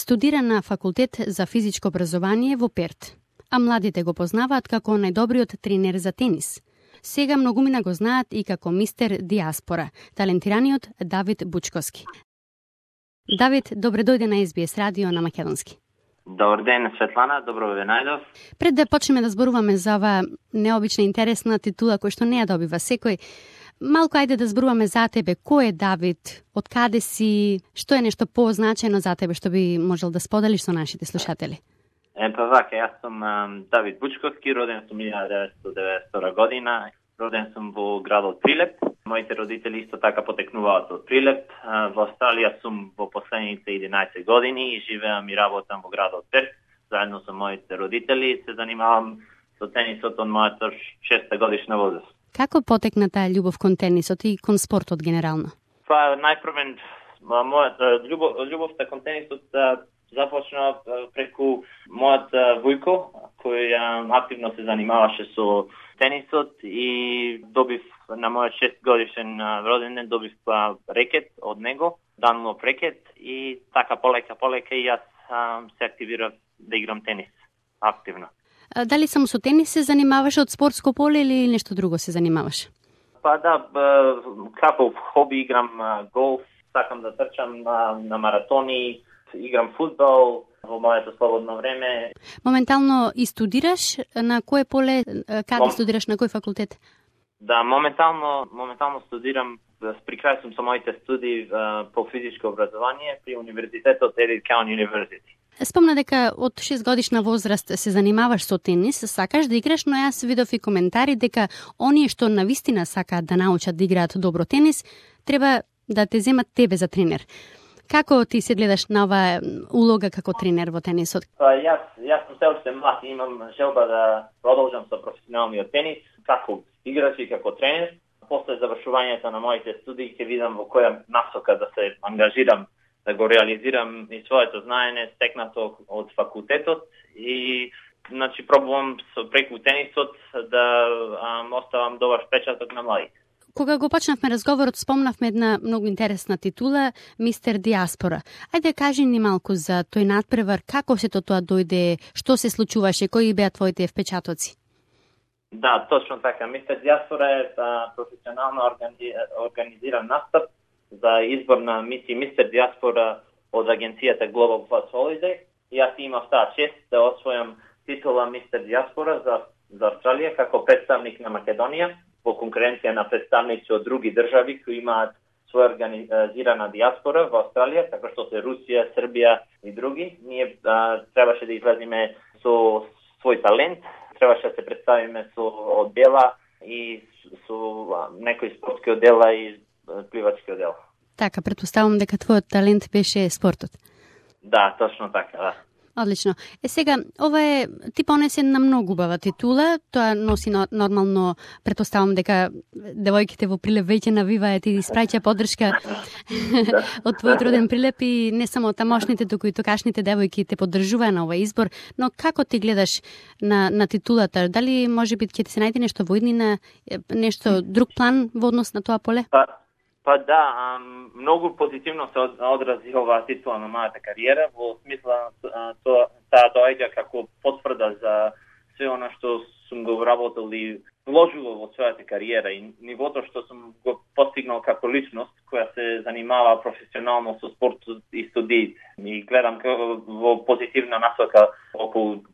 Студира на факултет за физичко образование во Перт, а младите го познаваат како најдобриот тренер за тенис. Сега многумина го знаат и како мистер Диаспора, талентираниот Давид Бучковски. Давид, добре дојде на SBS радио на македонски. Добар ден, Светлана, добро ве најдов. Пред да почнеме да зборуваме за оваа необична интересна титула која што не ја добива секој, малку ајде да зборуваме за тебе. Кој е Давид? Од каде си? Што е нешто позначено за тебе што би можел да споделиш со нашите слушатели? Вака, јас сум Давид Бучковски, роден сум 1992 година. Роден сум во градот Прилеп. Моите родители исто така потекнуваат од Прилеп. Во Австралија сум во последните 11 години и живеам и работам во градот Перт. Заедно со моите родители се занимавам со тенисот од мојата 6 годишна возраст. Како потекна таа љубов кон тенисот и кон спортот генерално? Најпрвен мојата љубовта кон тенисот започна преку мојот вујко, кој активно се занимаваше со тенисот и добив на мојот 6 годишен роден ден добив рекет од него, Dunlop рекет и така полека и јас се активирав да играм тенис активно. Дали само со тенис се занимаваш од спортско поле или нешто друго се занимаваш? Како хоби играм голф, сакам да трчам на маратони, играм фудбал во моето слободно време. Моментално и студираш на кое поле, каде студираш, на кој факултет? Да, моментално студирам, при крај сум со моите студии по физичко образование при универзитетот Edith Cowan University. Спомна дека од 6 годишна возраст се занимаваш со тенис, сакаш да играш, но јас видов и коментари дека оние што навистина сакаат да научат да играат добро тенис, треба да те земат тебе за тренер. Како ти се гледаш на оваа улога како тренер во тенисот? Јас сум се уште млад и имам желба да продолжам со професионалниот тенис, како играч и како тренер. После завршувањето на моите студии ќе видам во која насока да се ангажирам, да го реализирам и своето знаење стекнато од факултетот и пробувам преку тенисот да оставам добар впечаток на младите. Кога го почнавме разговорот, спомнавме една многу интересна титула, мистер Диаспора. Ајде кажи ни малку за тој надпревар, како сето тоа дојде, што се случуваше, кои беа твоите впечатоци? Да, точно така. Мистер Диаспора е професионално организиран настап за избор на мистер Диаспора од агенцијата Global Plus Holiday. И јас имав таа чест да освојам титула мистер Диаспора за Австралија како представник на Македонија, во конкуренција на представници од други држави кои имаат своја организирана диаспора во Австралија, така што се Русија, Србија и други. Ние требаше да излеземе со свој талент, требаше да се представиме со оддела и со некои спортски оддела и пливачки оддела. Така, претпоставам дека твојот талент беше спортот. Да, точно така, да. Одлично. Сега, ова е ти понесе една многу убава титула, тоа носи нормално, претпоставам дека девојките во Прилеп веќе навиваат и испраќа поддршка од твојот роден Прилеп и не само тамошните, туку и токашните девојки те поддржуваа на овој избор, но како ти гледаш на титулата? Дали можеби ќе ти се најде нешто во иднина, нешто друг план во однос на тоа поле? Да, многу позитивно се одрази оваа титула на мојата кариера, во смисла таа доаѓа како потврда за све она што сум го вработил и вложувал во својата кариера и нивото што сум го постигнал како личност, која се занимава професионално со спортот и студиите. И гледам во позитивна насока околу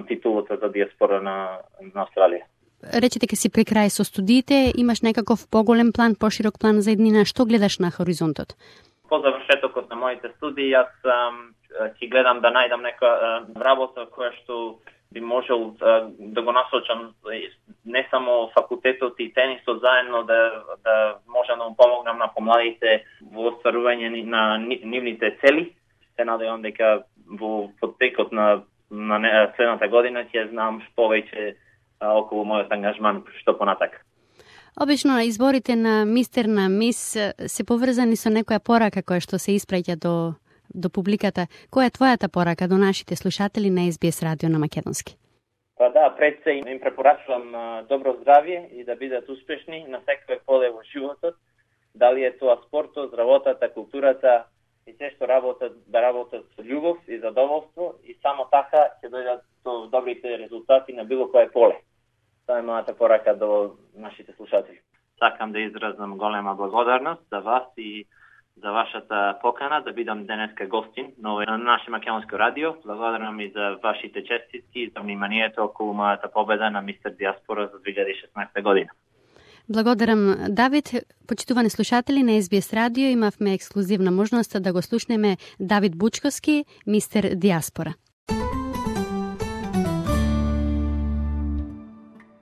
титулата за диаспора на Австралија. Рече дека си при крај со студиите, имаш некаков поголем план, поширок план за иднина, што гледаш на хоризонтот? По завршетокот на моите студии, јас ќе гледам да најдам нека работа која што би можел да го насочам не само факултетот и тенисот заедно, да можам да му помогнам на помладите во остварување на нивните цели. Се надевам дека во потекот на следната година ќе знам повеќе околу мојот ангажман што понатака. Обично изборите на мистер, на мис се поврзани со некоја порака која што се испраќа до публиката. Која е твојата порака до нашите слушатели на SBS радио на македонски? Пред се им препорачувам добро здравје и да бидат успешни на секој поле во животот. Дали е тоа спортот, работата, културата и се што работат со љубов и задоволство и само така ќе дојдат до добрите резултати на било кое поле. Тоа е мојата порака до нашите слушатели. Сакам да изразам голема благодарност за вас и за вашата покана да бидам денеска гостин на наше македонско радио. Благодарам и за вашите честитки и за вниманието околу мојата победа на Мистер Диаспора за 2016 година. Благодарам, Давид. Почитувани слушатели на SBS радио, имавме ексклузивна можност да го слушнеме Давид Бучковски, Мистер Диаспора.